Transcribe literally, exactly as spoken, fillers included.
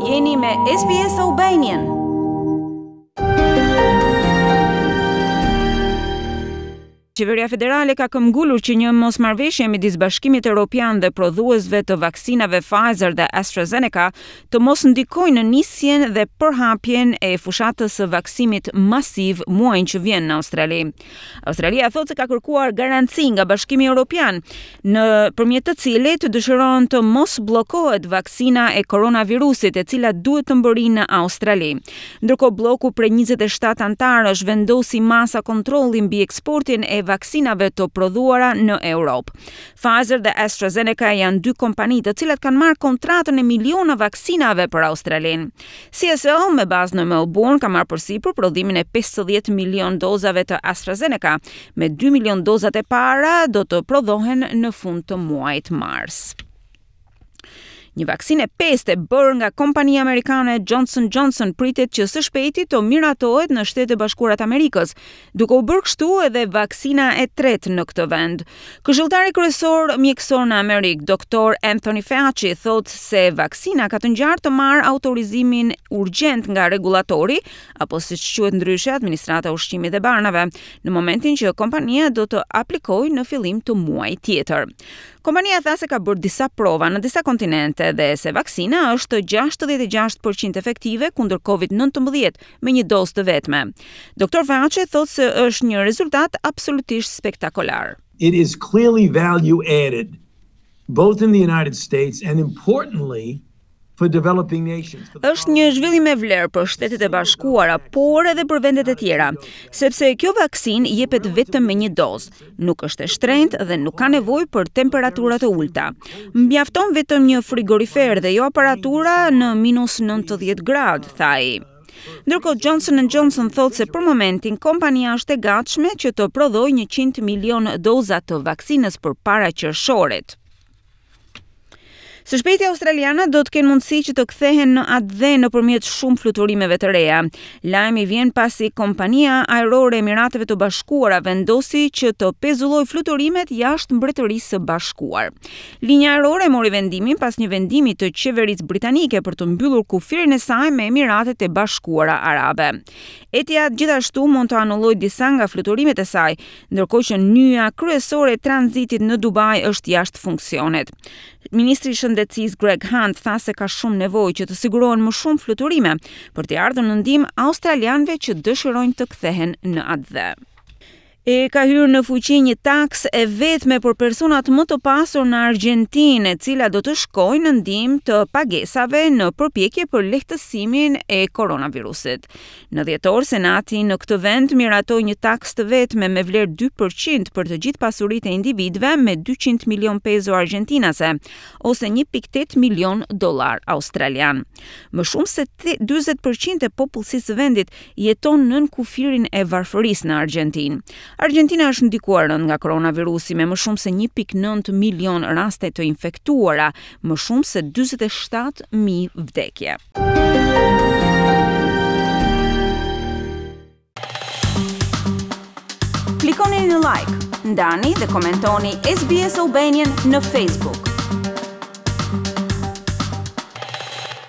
Jeni me S B S Albanian. Qeveria federale ka këmbgulur që një mosmarrëveshje midis Bashkimit Evropian dhe prodhuesve të vaksinave Pfizer dhe AstraZeneca të mos ndikojë në nisjen dhe përhapjen e fushatës së vaksimit masiv muajin që vjen në Australi. Australia thotë se ka kërkuar garanci nga Bashkimi Evropian, nëpërmjet të cilit dëshiron të mos bllokohet vaksina e koronavirusit, e cila duhet të mbërrijë në Australi. Ndërkohë, bloku prej njëzet e shtatë anëtarësh vendosi masa kontrolli mbi eksportin e vaksinave të prodhuara në Europë. Pfizer dhe AstraZeneca janë dy kompani të cilat kanë marrë kontratën e miliona vaksinave për Australinë. C S L me bazë në Melbourne ka marrë përsipër prodhimin e pesëdhjetë milion dozave të AstraZeneca, me dy milion dozat e para do të prodhohen në fund të muajit mars. Një vaksinë e pestë e bërë nga kompania amerikane Johnson Johnson pritet që së shpejti të miratohet në Shtetet e Bashkuara të Amerikës, duke u bërë kështu edhe vaksina e tretë në këtë vend. Këshilltari kryesor mjekësor në Amerikë, Doktor Anthony Fauci, thotë se vaksina ka të ngjarë të marrë autorizimin urgjent nga rregullatori, apo siç quhet ndryshe Administrata e Ushqimit dhe Barnave, në momentin që kompania do të aplikojë në fillim të muajit tjetër. Kompania tha se ka bërë disa prova në disa kontinente dhe se vaksina është gjashtëdhjetë e gjashtë për qind efektive kundër Covid nëntëmbëdhjetë me një dozë të vetme. Doktor Fauci thotë se është një rezultat absolutisht spektakolar. It is clearly value added both in the United States and, importantly, for developing nations. Është një zhvillim me vlerë për Shtetet e Bashkuara, por edhe për vendet e tjera, sepse kjo vaksinë jepet vetëm me një dozë, nuk është e shtrenjtë dhe nuk ka nevojë për temperatura të ulta. Mjafton vetëm një frigorifer dhe jo aparatura në minus nëntëdhjetë gradë, tha ai. Ndërkohë, Johnson Johnson thotë se për momentin kompania është e gatshme që të prodhojë njëqind milion doza të vaksinës përpara qershorit. Së shpejti australianët do të kenë mundësi që të kthehen në atdhe nëpërmjet shumë fluturimeve të reja. Lajmi vjen pasi kompania ajrore e Emirateve të Bashkuara vendosi që të pezullojë fluturimet jashtë Mbretërisë së Bashkuar. Linja ajrore mori vendimin pas një vendimi të qeverisë britanike për të mbyllur kufirin e saj me Emiratet e Bashkuara Arabe. Etihad gjithashtu mund të anullojë disa nga fluturimet e saj, ndërkohë që nyja kryesore e tranzitit në Dubai është jashtë funksionit. Ministri i Shëndetësisë Greg Hunt tha se ka shumë nevojë që të sigurohen më shumë fluturime për t'i ardhur në ndihmë australianëve që dëshirojnë të kthehen në atdhe. E ka hyrë në fuqi një taksë e vetme për personat më të pasur në Argentinë, e cila do të shkojë në ndihmë të pagesave në përpjekje për lehtësimin e koronavirusit. Në dhjetor, Senati në këtë vend miratoi një taksë të vetme me vlerë dy për qind për të gjithë pasuritë e individëve me dyqind milion peso argjentinase ose një pikë tetë milion dollar australian. Më shumë se dyzet për qind e popullsisë së vendit jeton nën kufirin e varfërisë në Argjentinë. Argentina është ndikuar rënd nga koronavirusi, me më shumë se një pikë nëntë milion raste të infektuara, më shumë se dyzet e shtatë mijë vdekje. Klikoni në like, ndani dhe komentoni S B S Albanian në Facebook.